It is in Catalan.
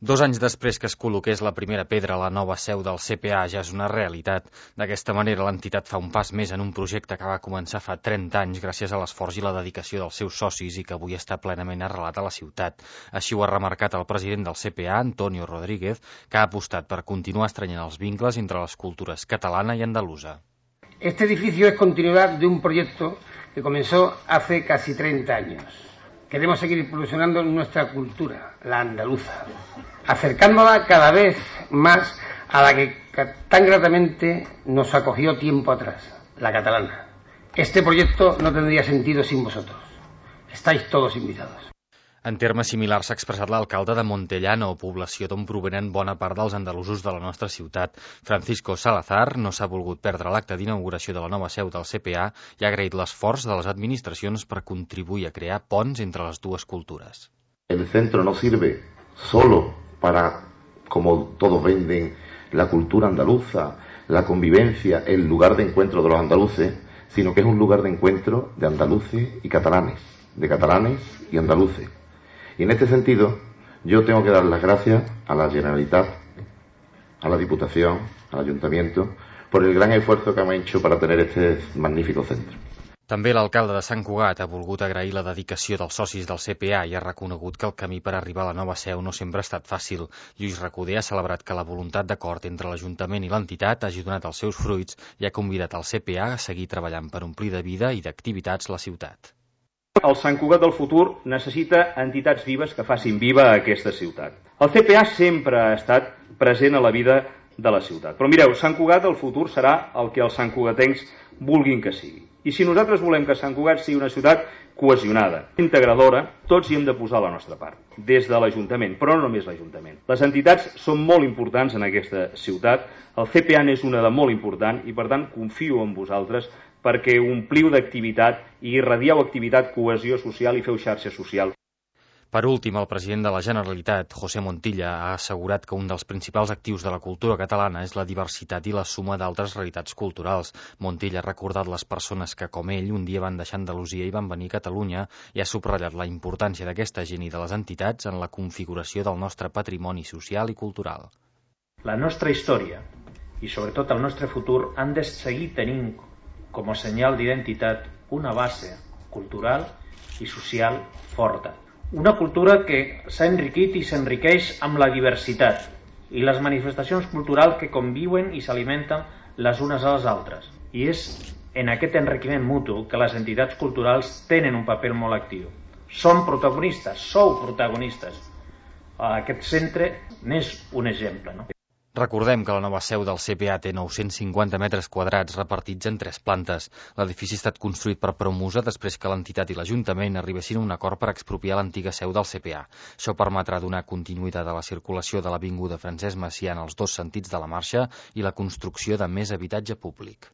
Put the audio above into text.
2 anys després que es col·loqués la primera pedra a la nova seu del CPA ja és una realitat. D'aquesta manera, l'entitat fa un pas més en un projecte que va començar fa 30 anys gràcies a l'esforç i la dedicació dels seus socis i que avui està plenament arrelat a la ciutat. Així ho ha remarcat el president del CPA, Antonio Rodríguez, que ha apostat per continuar estrenyent els vincles entre les cultures catalana i andalusa. Este edificio es continuidad de un proyecto que comenzó hace casi 30 años. Queremos seguir impulsando nuestra cultura, la andaluza, acercándola cada vez más a la que tan gratamente nos acogió tiempo atrás, la catalana. Este proyecto no tendría sentido sin vosotros. Estáis todos invitados. En termes similars s'ha expressat l'alcalde de Montellano, població d'on provenen bona part dels andalusos de la nostra ciutat. Francisco Salazar no s'ha volgut perdre l'acte d'inauguració de la nova seu del CPA i ha agraït l'esforç de les administracions per contribuir a crear ponts entre les dues cultures. El centro no sirve solo para, como todos venden, la cultura andaluza, la convivencia, el lugar de encuentro de los andaluces, sino que es un lugar de encuentro de andaluces y catalanes, de catalanes y andaluces. Y en este sentido, yo tengo que dar las gracias a la Generalitat, a la Diputación, al Ayuntamiento, por el gran esfuerzo que han hecho para tener este magnífico centro. També l'alcalde de Sant Cugat ha volgut agrair la dedicació dels socis del CPA i ha reconegut que el camí per arribar a la nova seu no sempre ha estat fàcil. Lluís Recoder ha celebrat que la voluntat d'acord entre l'Ajuntament i l'entitat hagi donat els seus fruits i ha convidat el CPA a seguir treballant per omplir de vida i d'activitats la ciutat. El Sant Cugat del futur necessita entitats vives que facin viva aquesta ciutat. El CPA sempre ha estat present a la vida de la ciutat. Però mireu, Sant Cugat del futur serà el que els santcugatencs vulguin que sigui. I si nosaltres volem que Sant Cugat sigui una ciutat cohesionada, integradora, tots hi hem de posar la nostra part, des de l'Ajuntament, però no només l'Ajuntament. Les entitats són molt importants en aquesta ciutat, el CPA n'és una de molt important i per tant confio en vosaltres perquè ompliu d'activitat i irradieu activitat, cohesió social i feu xarxa social. Per últim, el president de la Generalitat, José Montilla, ha assegurat que un dels principals actius de la cultura catalana és la diversitat i la suma d'altres realitats culturals. Montilla ha recordat les persones que, com ell, un dia van deixar Andalusia i van venir a Catalunya i ha subratllat la importància d'aquesta gent i de les entitats en la configuració del nostre patrimoni social i cultural. La nostra història i, sobretot, el nostre futur han de seguir tenint com a senyal d'identitat una base cultural i social forta. Una cultura que s'ha enriquit i s'enriqueix amb la diversitat i les manifestacions culturals que conviuen i s'alimenten les unes a les altres. I és en aquest enriquiment mutu que les entitats culturals tenen un paper molt actiu. Són protagonistes, sou protagonistes. Aquest centre n'és un exemple, no? Recordem que la nova seu del CPA té 950 metres quadrats repartits en 3 plantes. L'edifici ha estat construït per Promusa després que l'entitat i l'Ajuntament arribessin a un acord per expropiar l'antiga seu del CPA. Això permetrà donar continuïtat a la circulació de l'avinguda Francesc Macià en els 2 sentits de la marxa i la construcció de més habitatge públic.